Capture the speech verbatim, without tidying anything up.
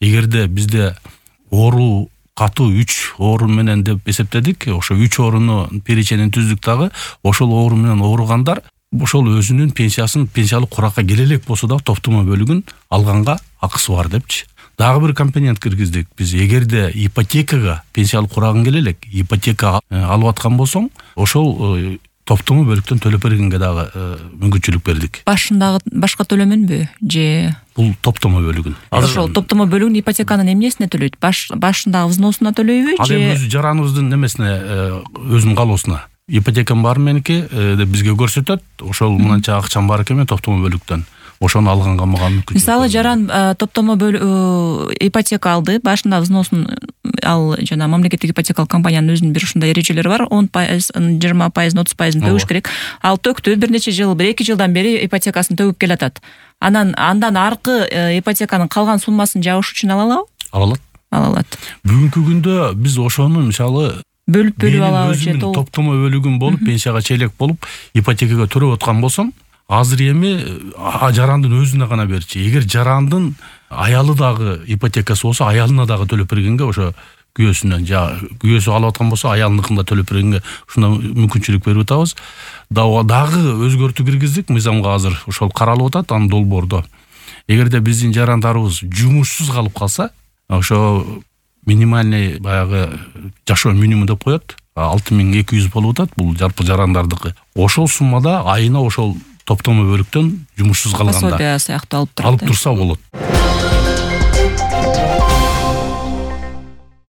эгерде бизде оору катуу үч оорун менен деп эсептедик, ошо үч ооруну переченин түздүк дагы, ошол оору менен ооругандар ошол өзүнүн пенсиясын пенсиялык куракка келе элек болсо да топтомо бөлүгүн алганга акысы бар депчи. Дагы бир компонент киргиздик. Биз эгерде ипотекага пенсиялык курагың келе элек, ипотека алып аткан болсоң, ошол топтомо бөлүктөн төлөп бергенге дагы мүмкүнчүлүк бердик. Башындагы башка төлөмөнбү же бул топтомо бөлүгүн? Ошол топтомо бөлүгүн ипотеканын эмнесине төлөйт? Баш башындагы взносуна төлөйбү же? Ал өзү жараныбыздын немесине, өзүнүн калоосуна. Ипотекам бар меники деп бизге көрсөтөт. Ошол мынанча акчам бар экен топтомо бөлүктөн. Ошону алганга мага мүмкүнчүлүк. Мисалы, жаран топтомо ипотека алды, башында взносун ал жана мамлекеттик ипотекалык компаниянын өзүнүн бир ушундай эрежелери бар. он пайыз, жыйырма пайыз, отуз пайызын төгүш керек. Ал төктү, бир нече жыл, бир эки жылдан бери ипотекасын төгүп келатат. Анан андан аркы ипотеканын калган суммасын жабыш үчүн ала алабы? Ала алат. Ала алат. Бүгүнкү күндө биз ошону мисалы бөлүп бөлүп алабы же топтомо бөлүгүн болуп, пенсияга челек болуп, ипотекага төрөп аткан болсом, азыр эми жарандын өзүнө гана берчи. Эгер жарандын аялы дагы ипотекасы болсо, аялына дагы төлөп бергенге, ошо күйөөсүнөн, жа күйөөсү алып аткан болсо, аялыныкында төлөп бергенге ушундай мүмкүнчүлүк берип атабыз. Дагы өзгөртүү киргиздик, мыйзамга азыр ошол каралып атат, анын долбоордо. Эгерде биздин жарандарыбыз жумушсуз калып калса, ошо минимальный баягы жашоо минимум деп коет, алты миң эки жүз болуп атат, бул жалпы жарандардыкы. Ошол суммада айына ошол топтомо бөлүктөн жумушсуз калганда пособие сыяктуу алып турат. Алып турса болот.